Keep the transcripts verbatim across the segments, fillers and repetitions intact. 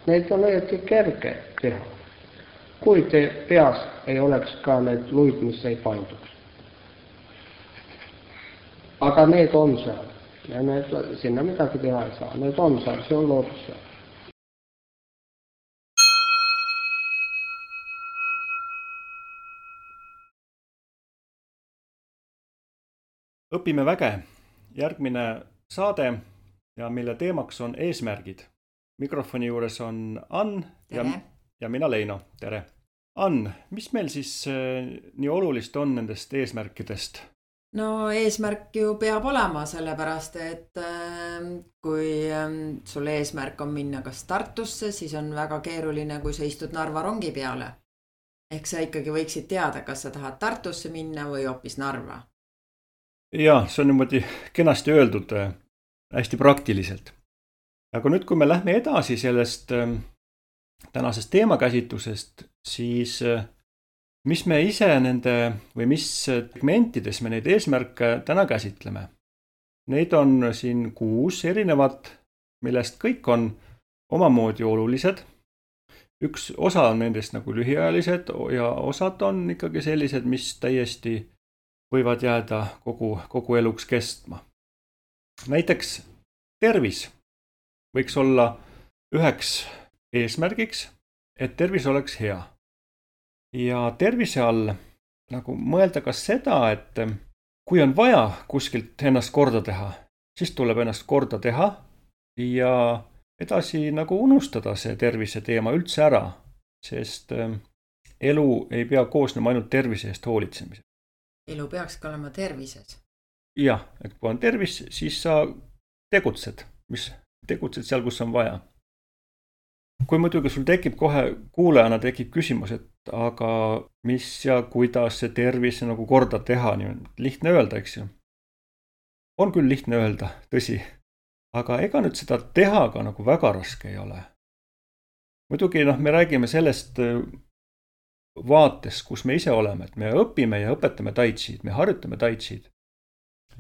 Neid on õieti kerge teha, kui te peas ei oleks ka need luid, mis ei painduks. Aga need on seal ja need, sinna midagi teha ei saa, need on seal, see on loodus seal. Õpime väge, järgmine saade ja mille teemaks on eesmärgid. Mikrofoni juures on Ann ja, ja mina Leino. Tere! Ann, mis meil siis nii olulist on nendest eesmärkidest? No eesmärk ju peab olema sellepärast, et kui sul eesmärk on minna kas Tartusse, siis on väga keeruline, kui sa istud Narva rongi peale. Ehk sa ikkagi võiksid teada, kas sa tahad Tartusse minna või hoopis Narva. Jaa, see on niimoodi kenasti öeldud hästi praktiliselt. Aga nüüd, kui me lähme edasi sellest tänasest teemakäsitlusest, siis mis me ise nende või mis segmentides me neid eesmärke täna käsitleme? Neid on siin kuus erinevat, millest kõik on omamoodi olulised. Üks osa on nendest nagu lühiajalised ja osad on ikkagi sellised, mis täiesti võivad jääda kogu, kogu eluks kestma. Näiteks tervis võiks olla üheks eesmärgiks, et tervis oleks hea. Ja tervise all nagu mõelda ka seda, et kui on vaja kuskilt ennast korda teha, siis tuleb ennast korda teha ja edasi nagu unustada see tervise teema üldse ära, sest elu ei pea koosnema ainult tervise eest hoolitsemisest. Elu peaks ka olema tervises. Jah, et kui on tervis, siis sa tegutsed, mis tegutsed seal, kus on vaja. Kui muidugi sul tekib kohe kuulajana tekib küsimus, et aga mis ja kuidas see tervis nagu korda teha, nii lihtne öelda, eks ju. On küll lihtne öelda, tõsi, aga ega nüüd seda teha ka nagu väga raske ei ole. Muidugi noh, me räägime sellest vaates, kus me ise oleme, et me õpime ja õpetame tai chid, me harjutame tai chid.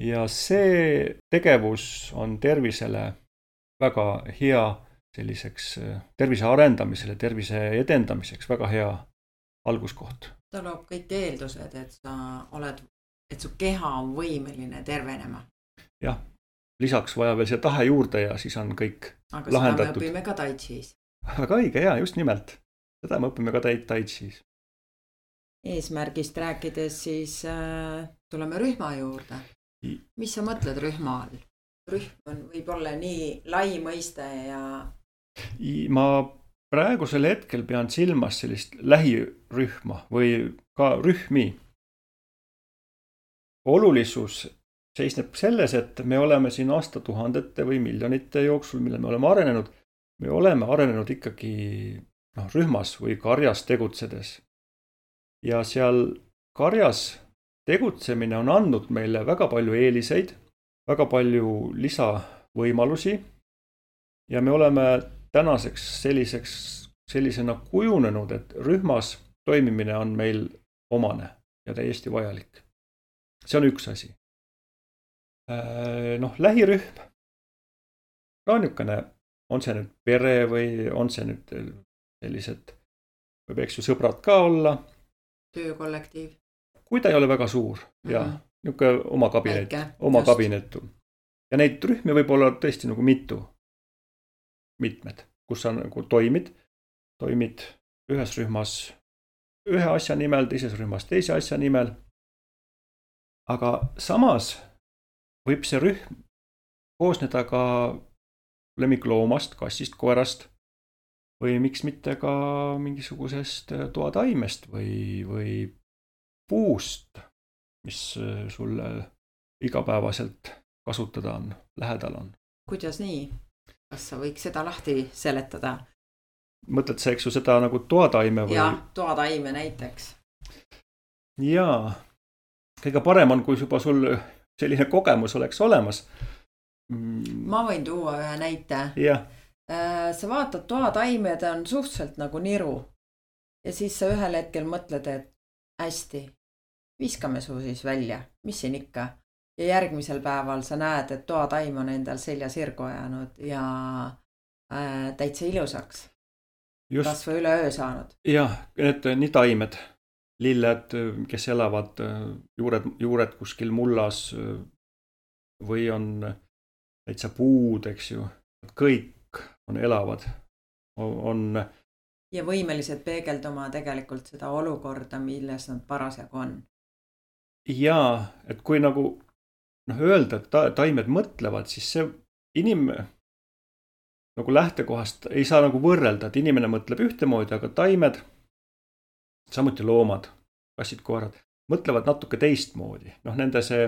Ja see tegevus on tervisele väga hea selliseks tervise arendamisele, tervise edendamiseks väga hea alguskoht. Ta loob kõik eeldused, et sa oled, et su keha on võimeline tervenema. Jah, lisaks vaja veel see tahe juurde ja siis on kõik aga lahendatud. Aga seda me õpime ka tai chis. Väga õige, jaa, just nimelt. Seda me õpime ka tai chis. Eesmärgist rääkides siis äh, tuleme rühma juurde. Mis sa mõtled rühma all? Rühm on võib-olla nii lai mõiste ja... Ma praegusel hetkel pean silmas sellist lähirühma või ka rühmi. Olulisus seisneb selles, et me oleme siin aastatuhandete või miljonite jooksul, mille me oleme arenenud, me oleme arenenud ikkagi no, rühmas või karjas tegutsedes. Ja seal karjas tegutsemine on andnud meile väga palju eeliseid, väga palju lisavõimalusi ja me oleme tänaseks selliseks, sellisena kujunenud, et rühmas toimimine on meil omane ja täiesti vajalik. See on üks asi. Noh, lähirühm on niisugune, on see nüüd pere või on see nüüd sellised, võib eks ju sõbrad ka olla, töökollektiiv. Kui ta ei ole väga suur ja mm-hmm. niisugune oma kabinet, Väike, oma just. kabinetu. Ja neid rühmi võib olla tõesti nagu mitu, mitmed, kus sa nagu toimid, toimid ühes rühmas ühe asja nimel, teises rühmas teise asja nimel. Aga samas võib see rühm koosneda ka lemmikloomast, kassist, koerast või miks mitte ka mingisugusest toataimest või, või puust, mis sulle igapäevaselt kasutada on, lähedal on. Kuidas nii? Kas sa võiks seda lahti seletada? Mõtled sa, eks ju, seda nagu toataime või? Jah, toataime näiteks. Jaa, kõige parem on, kui juba sul selline kogemus oleks olemas. Ma võin tuua ühe näite. Jah. Sa vaatad toataimed on suhteliselt nagu niru ja siis sa ühel hetkel mõtled, et hästi, viskame su siis välja, mis siin ikka. Ja järgmisel päeval sa näed, et toataim on endal selja sirgu ajanud ja äh, täitsa ilusaks. Just, kas või üle öö saanud. jah, need nii taimed, lilled, kes elavad juured, juured kuskil mullas või on täitsa puud, eks ju, kõik on elavad, on ja võimelised peegelduma tegelikult seda olukorda, milles nad parasjagu on. Jaa, et kui nagu noh, öelda, et ta, taimed mõtlevad, siis see inim nagu lähtekohast ei saa nagu võrrelda, et inimene mõtleb ühtemoodi, aga taimed, samuti loomad, kassid, koerad, mõtlevad natuke teistmoodi. Noh, nende see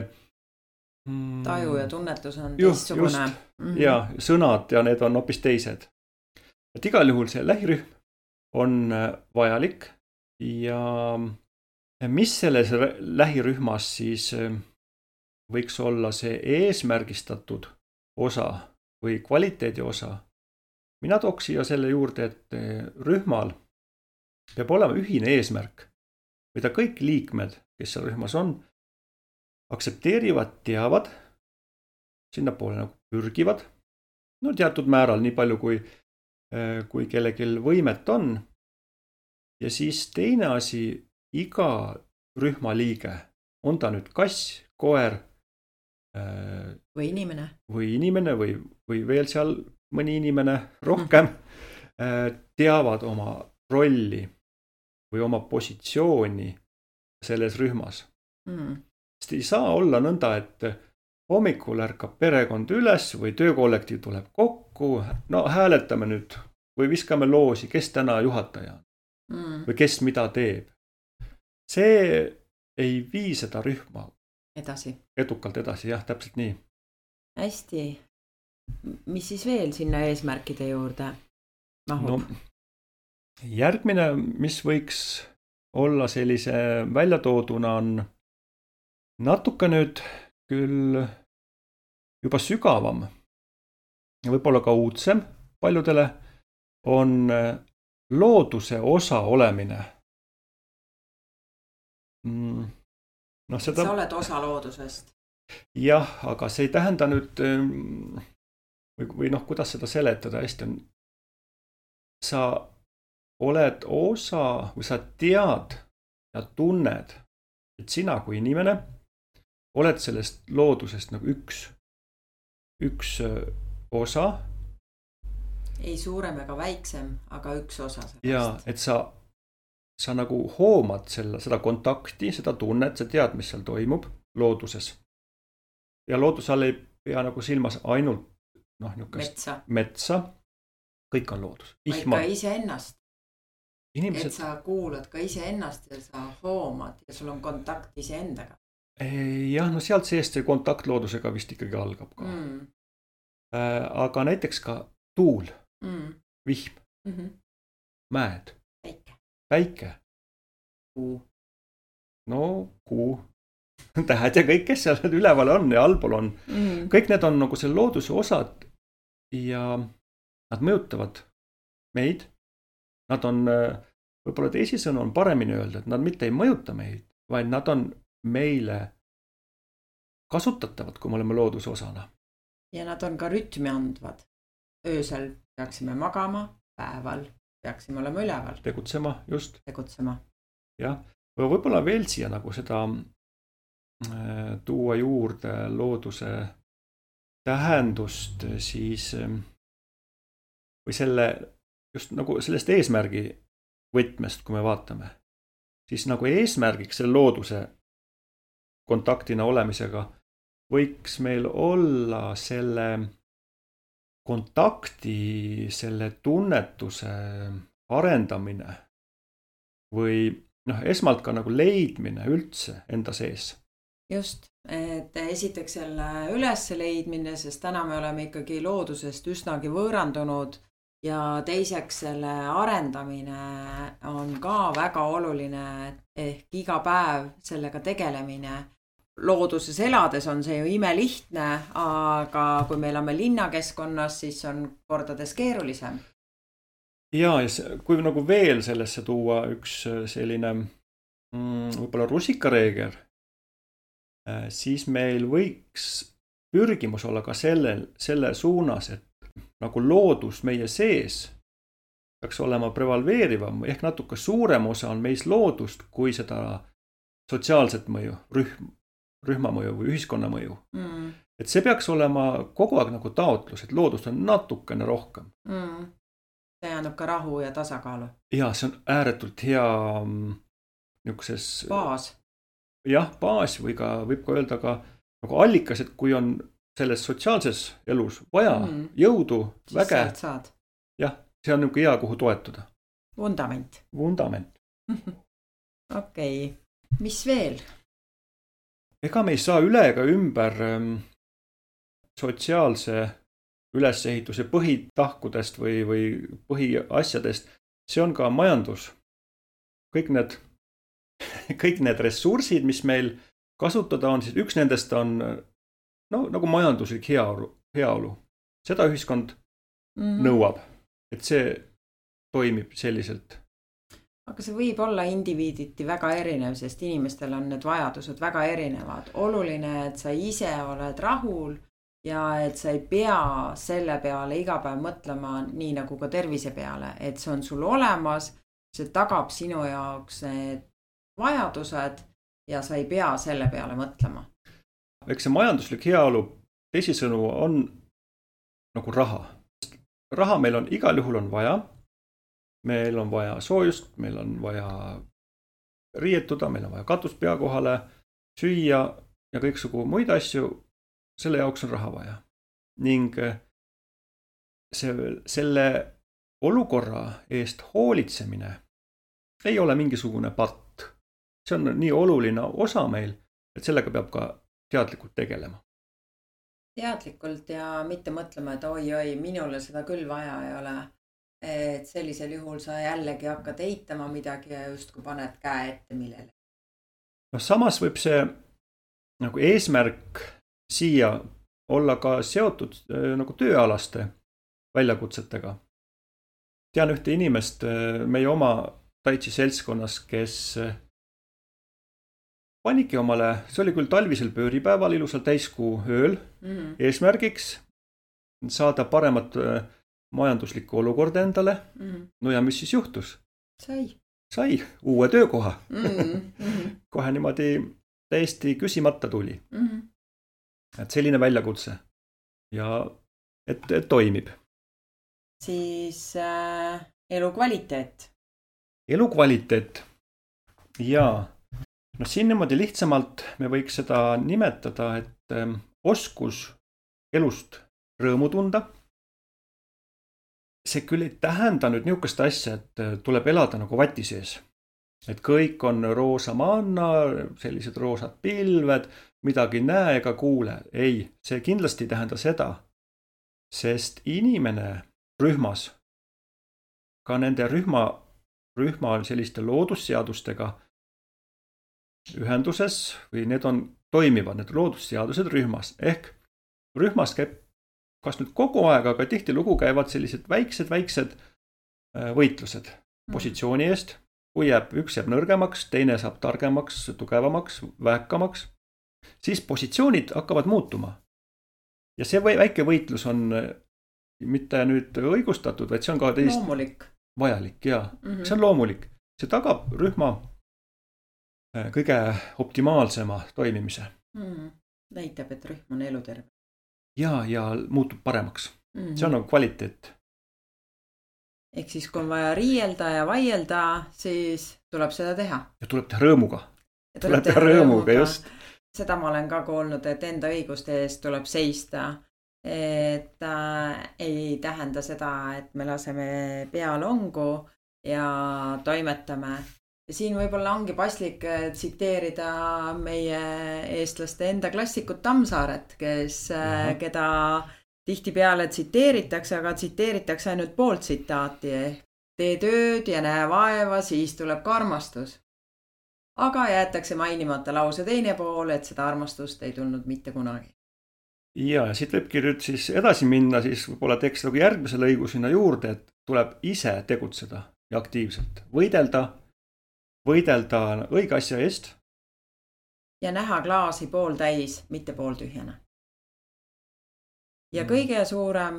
mm, taju ja tunnetus on teistsugune. Mm-hmm. Ja sõnad ja need on hoopis teised. Et igal juhul see lähirühm on vajalik ja mis selles lähirühmas siis võiks olla see eesmärgistatud osa või kvaliteedi osa. Mina tooks siia selle juurde, et rühmal peab olema ühine eesmärk, mida kõik liikmed, kes seal rühmas on, aktsepteerivad, teavad, sinna poole nagu pürgivad, no teatud määral, nii palju kui kui kellelgi võimet on. Ja siis teine asi, iga rühma liige, on ta nüüd kass, koer või inimene või inimene või, või veel seal mõni inimene rohkem, teavad oma rolli või oma positsiooni selles rühmas. Mm. Sest ei saa olla nõnda, et hommikul ärkab perekond üles või töökollektiiv tuleb kokku, no hääletame nüüd või viskame loosi, kes täna juhataja on mm. või kes mida teeb. See ei vii seda rühma edasi. Edukalt edasi, jah, täpselt nii. Hästi. Mis siis veel sinna eesmärkide juurde mahub? No, järgmine, mis võiks olla sellise väljatooduna on natuke nüüd küll juba sügavam ja võib-olla ka uudsem paljudele on looduse osa olemine. No, seda... Sa oled osa loodusest. Jah, aga see ei tähenda nüüd või, või noh, kuidas seda seletada hästi on. Sa oled osa või sa tead ja tunned, et sina kui inimene oled sellest loodusest nagu üks, üks osa. Ei suurem ega väiksem, aga üks osa sellest. Ja, et sa, sa nagu hoomad selle, seda kontakti, seda tunnet, sa tead, mis seal toimub looduses. Ja loodus all ei pea nagu silmas ainult noh, metsa. metsa. Kõik on loodus. Vaid ka ise ennast. Inimesed... Et sa kuulad ka ise ennast ja sa hoomad ja sul on kontakt ise endaga. Jah, no sealt seest see kontakt loodusega vist ikkagi algab ka. Mm. Aga näiteks ka tuul, mm. vihm, mm-hmm. mäed, päike, päike. kuu. No kuu, tähed ja kõik, kes seal üleval on ja allpool on. Mm. Kõik need on nagu selle looduse osad ja nad mõjutavad meid. Nad on, võib-olla teisisõnu on paremini öelda, et nad mitte ei mõjuta meid, vaid nad on meile kasutatavad, kui me oleme looduse osana. Ja nad on ka rütmi andvad. Öösel peaksime magama, päeval peaksime olema üleval. Tegutsema, just. Tegutsema. Jah, võib-olla veel siia nagu seda tuua juurde looduse tähendust siis või selle just nagu sellest eesmärgi võtmest, kui me vaatame, siis nagu eesmärgiks selle looduse kontaktina olemisega võiks meil olla selle kontakti, selle tunnetuse arendamine või noh, esmalt ka nagu leidmine üldse enda sees. Just, et esiteks selle üles leidmine, sest täna me oleme ikkagi loodusest üsnagi võõrandunud ja teiseks selle arendamine on ka väga oluline, ehk iga päev sellega tegelemine. Looduses elades on see ju imelihtne, aga kui me elame linnakeskkonnas, siis on kordades keerulisem. Ja, ja kui nagu veel sellesse tuua üks selline mm, võib-olla rusikareeger, siis meil võiks pürgimus olla ka selle, selle suunas, et nagu loodus meie sees peaks olema prevalveerivam, ehk natuke suurem osa on meis loodust kui seda sotsiaalset mõju, rühm, rühma mõju või ühiskonna mõju. Mm. Et see peaks olema kogu aeg nagu taotlus, et loodust on natukene rohkem. Mm. See annab ka rahu ja tasakaalu. Ja, see on ääretult hea niisuguses... Baas. Jah, baas või ka, võib ka öelda ka nagu allikas, et kui on selles sotsiaalses elus vaja mm. jõudu, siis väge. Jah, see on niisugune hea, kuhu toetuda. Vundament. Vundament. Okei, okay. Mis veel? Ega me ei saa üle ega ümber sotsiaalse ülesehituse põhitahkudest või, või põhiasjadest. See on ka majandus. Kõik need, kõik need ressursid, mis meil kasutada on, siis üks nendest on no, nagu majanduslik heaolu, heaolu. Seda ühiskond mm-hmm. nõuab, et see toimib selliselt. Aga see võib olla indiviiditi väga erinev, sest inimestel on need vajadused väga erinevad. Oluline, et sa ise oled rahul ja et sa ei pea selle peale iga päev mõtlema nii nagu ka tervise peale, et see on sul olemas, see tagab sinu jaoks need vajadused ja sa ei pea selle peale mõtlema. Eks see majanduslik heaolu teisisõnu on nagu raha. Raha meil on igal juhul on vaja. Meil on vaja soojust, meil on vaja riietuda, meil on vaja katust pea kohale, süüa ja kõiksugu muid asju. Selle jaoks on raha vaja. Ning see, selle olukorra eest hoolitsemine ei ole mingisugune patt. See on nii oluline osa meil, et sellega peab ka teadlikult tegelema. Teadlikult ja mitte mõtlema, et oi, oi, minule seda küll vaja ei ole. Et sellisel juhul sa jällegi hakkad eitama midagi ja just kui paned käe ette millele. No samas võib see nagu eesmärk siia olla ka seotud nagu tööalaste väljakutsetega. Tean ühte inimest meie oma taitsi seltskonnas, kes paniki omale, see oli küll talvisel pööripäeval ilusal täiskuu ööl mm-hmm. eesmärgiks saada paremat majanduslikku olukorda endale. Mm-hmm. No ja mis siis juhtus? Sai. Sai uue töökoha. Mm-hmm. Kohe niimoodi täiesti küsimata tuli. Mm-hmm. Et selline väljakutse ja et, et toimib. Siis äh, elukvaliteet. Elukvaliteet. Jaa. No siin niimoodi lihtsamalt me võiks seda nimetada, et ähm, oskus elust rõõmu tunda. See küll ei tähenda nüüd niisugust asja, et tuleb elada nagu vati sees. Et kõik on roosa manna, sellised roosad pilved, midagi näe ega kuule. Ei, see kindlasti ei tähenda seda, sest inimene rühmas, ka nende rühma, rühma selliste loodusseadustega ühenduses või need on toimivad, need loodusseadused rühmas. Ehk rühmas käib kas nüüd kogu aeg, aga tihti lugu käivad sellised väiksed, väiksed võitlused positsiooni eest. Kui jääb, üks jääb nõrgemaks, teine saab targemaks, tugevamaks, vähkamaks, siis positsioonid hakkavad muutuma. Ja see väike võitlus on mitte nüüd õigustatud, vaid see on ka teist loomulik. Vajalik. Ja. Mm-hmm. See on loomulik. See tagab rühma kõige optimaalsema toimimise. Mm. Näitab, et rühm on eluterve. Ja, ja muutub paremaks. Mm-hmm. See on nagu kvaliteet. Ehk siis, kui on vaja riielda ja vaielda, siis tuleb seda teha. Ja tuleb teha rõõmuga. Tuleb, tuleb teha rõõmuga, rõõmuga, just. Seda ma olen ka kuulnud, et enda õiguste eest tuleb seista. Et äh, ei tähenda seda, et me laseme pealongu ja toimetame. Ja siin võib-olla ongi paslik tsiteerida meie eestlaste enda klassikut Tammsaaret, kes, äh, keda... Tihtipeale tsiteeritakse, aga tsiteeritakse ainult poolt tsitaati. Tee tööd ja näe vaeva, siis tuleb ka armastus. Aga jäetakse mainimata lause teine pool, et seda armastust ei tulnud mitte kunagi. Ja, ja siit võibki nüüd siis edasi minna, siis võib-olla teeks nagu järgmise lõigu sinna juurde, et tuleb ise tegutseda ja aktiivselt. Võidelda, võidelda õige asja eest. Ja näha klaasi pool täis, mitte pool tühjana. Ja kõige suurem...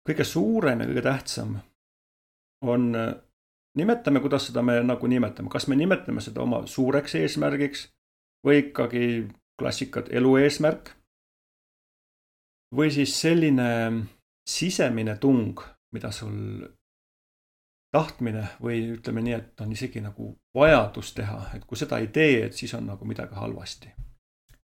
Kõige suurem ja kõige tähtsam on, nimetame, kuidas seda me nagu nimetame, kas me nimetame seda oma suureks eesmärgiks või ikkagi klassikat elu eesmärk või siis selline sisemine tung, mida sul tahtmine või ütleme nii, et on isegi nagu vajadus teha, et kui seda ei tee, et siis on nagu midagi halvasti.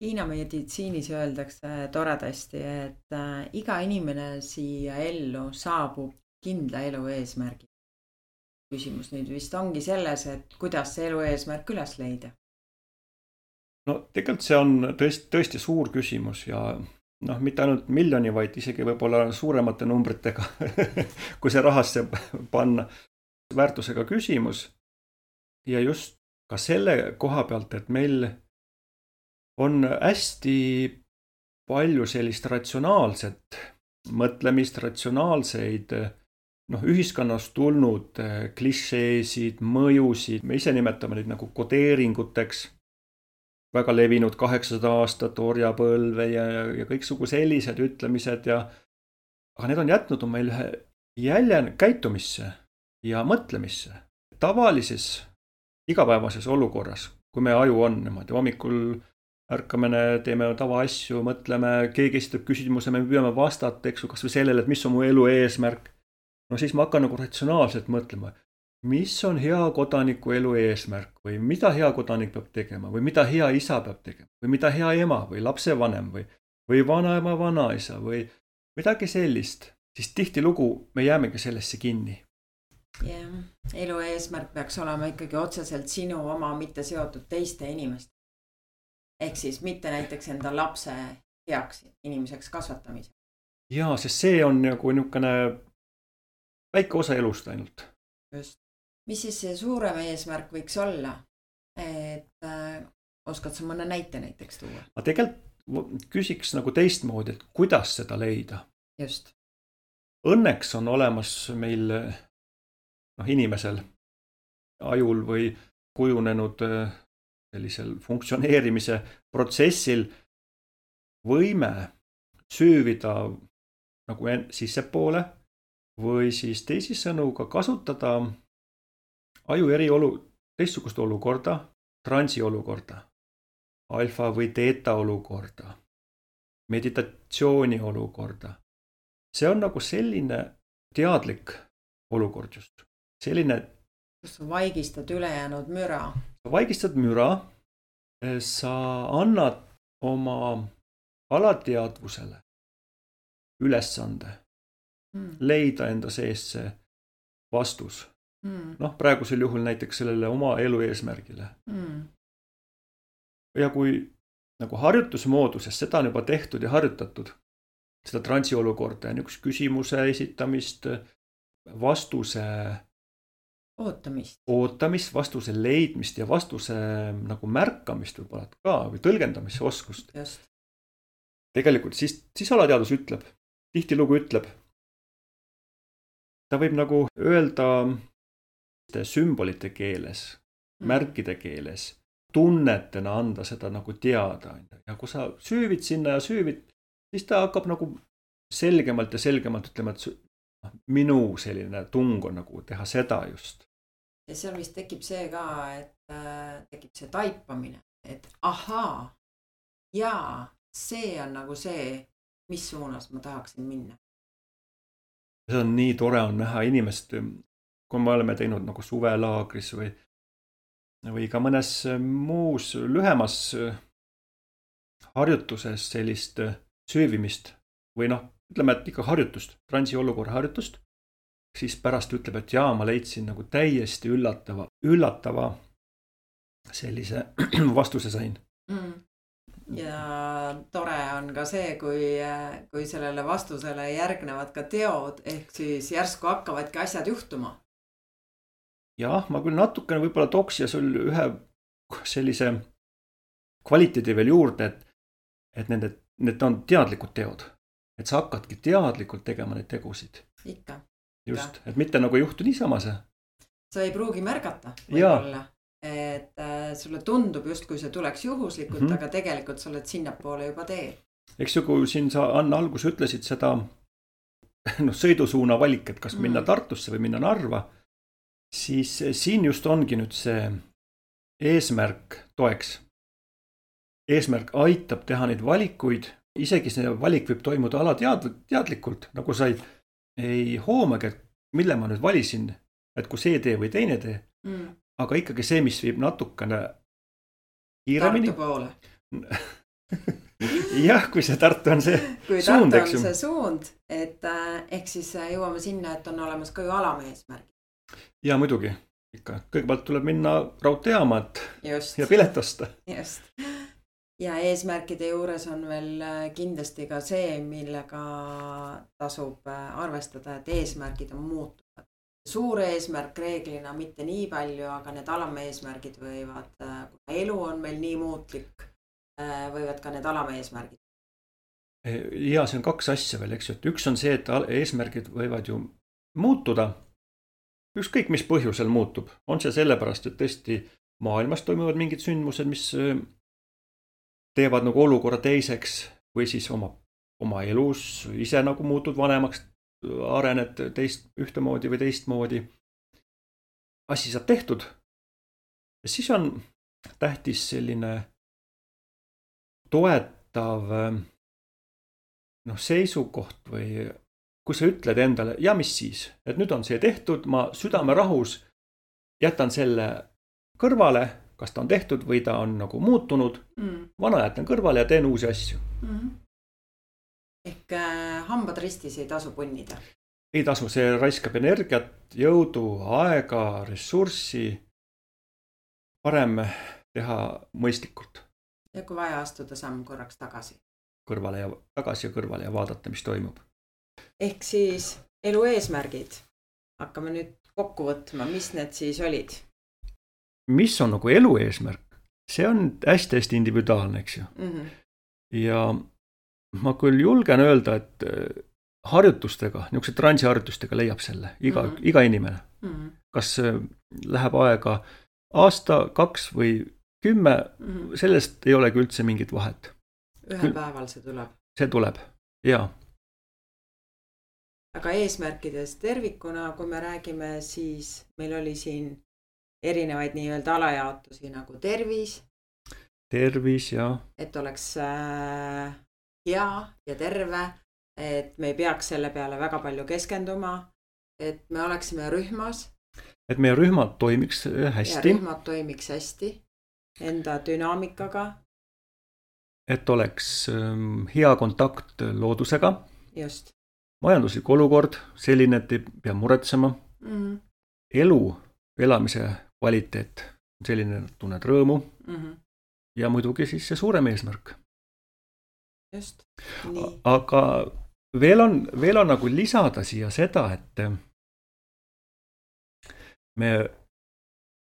Hiina meditsiinis öeldakse toredasti, et iga inimene siia ellu saabub kindla elu eesmärgi. Küsimus nüüd vist ongi selles, et kuidas see elu eesmärk üles leida? No tegelikult see on tõesti, tõesti suur küsimus ja noh, mitte ainult miljoni, vaid isegi võib-olla suuremate numbritega, kui see rahasse panna väärtusega küsimus. Ja just ka selle koha pealt, et meil on hästi palju sellist ratsionaalset mõtlemist, ratsionaalseid noh, ühiskonnast tulnud klišeesid, mõjusid, me ise nimetame neid nagu kodeeringuteks, väga levinud kaheksasada aastat orjapõlve ja, ja kõiksugu sellised ütlemised ja aga need on jätnud on meil ühe jälje käitumisse ja mõtlemisse. Tavalises igapäevases olukorras, kui me aju on niimoodi, hommikul ärkame, teeme tava asju, mõtleme, keegi esitab küsimuse, me püüame vastata, eks ju, kas või sellele, et mis on mu elu eesmärk. No siis ma hakkan nagu ratsionaalselt mõtlema, mis on hea kodaniku elu eesmärk või mida hea kodanik peab tegema või mida hea isa peab tegema või mida hea ema või lapsevanem või, või vanaema, vanaisa või midagi sellist, siis tihtilugu me jäämegi sellesse kinni. Yeah. Elu eesmärk peaks olema ikkagi otseselt sinu oma, mitte seotud teiste inimest. Ehk siis mitte näiteks enda lapse heaks inimeseks kasvatamise. Jaa, sest see on nagu niisugune väike osa elust ainult. Just. Mis siis see suurem eesmärk võiks olla? Et äh, oskad sa mõne näite näiteks tuua? Ma tegelikult küsiks nagu teistmoodi, et kuidas seda leida. Just. Õnneks on olemas meil noh, inimesel ajul või kujunenud sellisel funktsioneerimise protsessil võime süüvida nagu sissepoole või siis teisisõnuga kasutada aju eri olu, teistsugust olukorda, transi olukorda, alfa või teeta olukorda, meditatsiooni olukorda. See on nagu selline teadlik olukord just. Selline, kus sa vaigistad ülejäänud müra. Sa vaigistad müra, sa annad oma alateadvusele ülesande mm. leida enda sees see vastus. Mm. Noh, praegusel juhul näiteks sellele oma elu eesmärgile. Mm. Ja kui nagu harjutusmooduses seda on juba tehtud ja harjutatud, seda transi olukorda ja niisugust küsimuse esitamist, vastuse ootamist, ootamist, vastuse leidmist ja vastuse nagu märkamist võib-olla ka või tõlgendamise oskust. Just. Tegelikult siis, siis alateadus ütleb, tihtilugu ütleb, ta võib nagu öelda sümbolite keeles, mm. märkide keeles, tunnetena anda seda nagu teada. Ja kui sa süüvid sinna ja süüvid, siis ta hakkab nagu selgemalt ja selgemalt ütlema, et minu selline tung on nagu teha seda just. Ja seal vist tekib see ka, et äh, tekib see taipamine, et ahaa, jaa, see on nagu see, mis suunas ma tahaksin minna. See on nii tore on näha inimest, kui me oleme teinud nagu suvelaagris või, või ka mõnes muus lühemas harjutuses sellist süüvimist või noh, ütleme, et ikka harjutust, transi olukorra harjutust, siis pärast ütleb, et jaa, ma leidsin nagu täiesti üllatava, üllatava sellise vastuse sain. Mm. Ja tore on ka see, kui, kui sellele vastusele järgnevad ka teod, ehk siis järsku hakkavadki asjad juhtuma. Jah, ma küll natukene võib-olla tooks ja sul ühe sellise kvaliteedi veel juurde, et, et need, need on teadlikud teod. Et sa hakkadki teadlikult tegema neid tegusid. Ikka. Just, et mitte nagu juhtu niisama see. Sa ei pruugi märgata võib-olla, et äh, sulle tundub just, kui see tuleks juhuslikult, mm -hmm. aga tegelikult sa oled sinnapoole juba teel. Eks ju, kui siin sa Anna algus ütlesid seda no, sõidusuuna valik, et kas minna mm -hmm. Tartusse või minna Narva, siis siin just ongi nüüd see eesmärk toeks. Eesmärk aitab teha neid valikuid, isegi see valik võib toimuda alateadlikult, nagu sa ei, ei hoomagi, et mille ma nüüd valisin, et kui see tee või teine tee, mm. aga ikkagi see, mis viib natukene kiiremini. Tartu poole. Jah, kui see Tartu on see kui suund, Tartu on see suund, et äh, ehk siis jõuame sinna, et on olemas ka ju alameesmärgi. Ja muidugi, ikka. Kõigepealt tuleb minna raudteejaama, et just. Ja pilet osta. Just. Ja eesmärkide juures on veel kindlasti ka see, millega tasub arvestada, et eesmärgid on muutuvad. Suur eesmärk reeglina mitte nii palju, aga need alameesmärgid võivad, kui elu on meil nii muutlik, võivad ka need alameesmärgid. Ja see on kaks asja veel, eks ju, et üks on see, et eesmärgid võivad ju muutuda. Ükskõik, mis põhjusel muutub. On see sellepärast, et tõesti maailmas toimuvad mingid sündmused, mis teevad nagu olukorra teiseks või siis oma, oma elus ise nagu muutud vanemaks, arened teist ühtemoodi või teistmoodi. Asi saab tehtud. Ja siis on tähtis selline toetav noh, seisukoht või kui sa ütled endale, ja mis siis, et nüüd on see tehtud, ma südame rahus jätan selle kõrvale, kas ta on tehtud või ta on nagu muutunud, mm. vana jätan kõrvale ja teen uusi asju. Mm-hmm. Ehk äh, hambad ristis ei tasu punnida? Ei tasu, see raiskab energiat, jõudu, aega, ressurssi, parem teha mõistlikult. Ja kui vaja astuda samm korraks tagasi? Kõrvale ja tagasi ja kõrvale ja vaadata, mis toimub. Ehk siis elu eesmärgid. Hakkame nüüd kokku võtma, mis need siis olid? Mis on nagu elu eesmärk? See on hästi-hästi individuaalne, eks ju. Mm-hmm. Ja ma küll julgen öelda, et harjutustega, niisuguse transiharjutustega leiab selle iga, mm-hmm. iga inimene. Mm-hmm. Kas läheb aega aasta, kaks või kümme, mm-hmm. sellest ei olegi üldse mingit vahet. Ühel Küll, päeval see tuleb. See tuleb, jaa. Aga eesmärkidest tervikuna, kui me räägime, siis meil oli siin erinevaid nii-öelda alajaotusi nagu tervis. Tervis, jah. Et oleks äh, hea ja terve, et me ei peaks selle peale väga palju keskenduma, et me oleksime rühmas. Et meie rühmad toimiks hästi. Ja rühmad toimiks hästi enda dünaamikaga. Et oleks ähm, hea kontakt loodusega. Just. Majanduslik olukord, selline, et ei pea muretsema. Mm-hmm. Elu, elamise kvaliteet, selline tunned rõõmu. Mm-hmm. Ja muidugi siis see suurem eesmärk. Just. Nii. Aga veel on, veel on nagu lisada siia seda, et me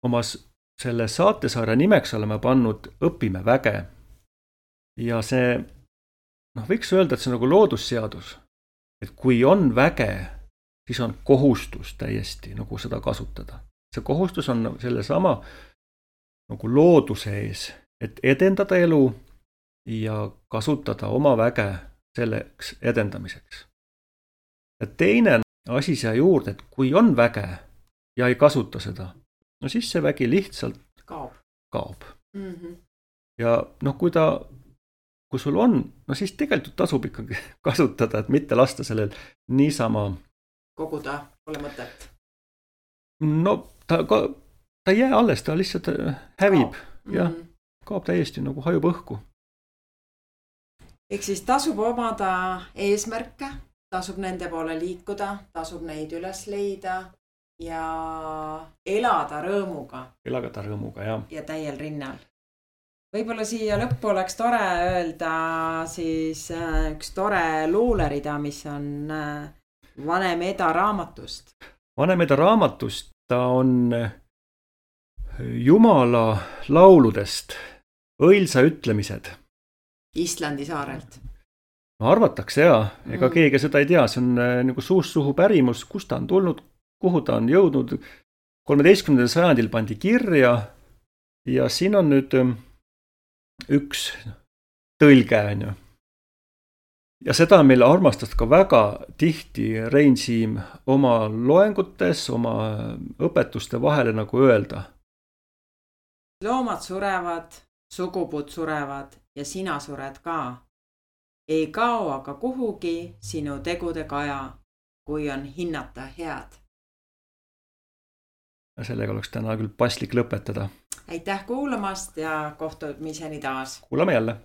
oma selle saatesarja nimeks oleme pannud Õpime väge. Ja see, noh, võiks öelda, et see on nagu loodusseadus. Et kui on väge, siis on kohustus täiesti nagu seda kasutada. See kohustus on selle sama nagu looduse ees, et edendada elu ja kasutada oma väge selleks edendamiseks. Ja teine asi siia juurde, et kui on väge ja ei kasuta seda, no siis see vägi lihtsalt kaob. kaob. Mm-hmm. Ja noh, kui ta kui sul on, no siis tegelikult tasub ikkagi kasutada, et mitte lasta sellel niisama koguda, pole mõtet. No ta, ta ei jää alles, ta lihtsalt hävib kaob. Ja mm-hmm. kaob täiesti nagu hajub õhku. Ehk siis tasub omada eesmärke, tasub nende poole liikuda, tasub neid üles leida ja elada rõõmuga. Elada rõõmuga, jah. Ja täiel rinnal. Võib-olla siia lõppu oleks tore öelda siis üks tore luulerida, mis on Vanem Eda raamatust. Vanem Eda raamatust, ta on Jumala lauludest, õilsa ütlemised. Islandi saarelt. No arvatakse jaa, ega mm. keegi seda ei tea, see on nagu suust suhu pärimus, kus ta on tulnud, kuhu ta on jõudnud. kolmeteistkümnendal sajandil pandi kirja ja siin on nüüd üks tõlge, on ju. ja seda meil armastas ka väga tihti Rein Siim oma loengutes, oma õpetuste vahele nagu öelda. Loomad surevad, sugupuud surevad ja sina sured ka. Ei kao aga kuhugi sinu tegude kaja, kui on hinnata head. Ja sellega oleks täna küll paslik lõpetada. Aitäh kuulamast ja kohtumiseni taas. Kuulame jälle.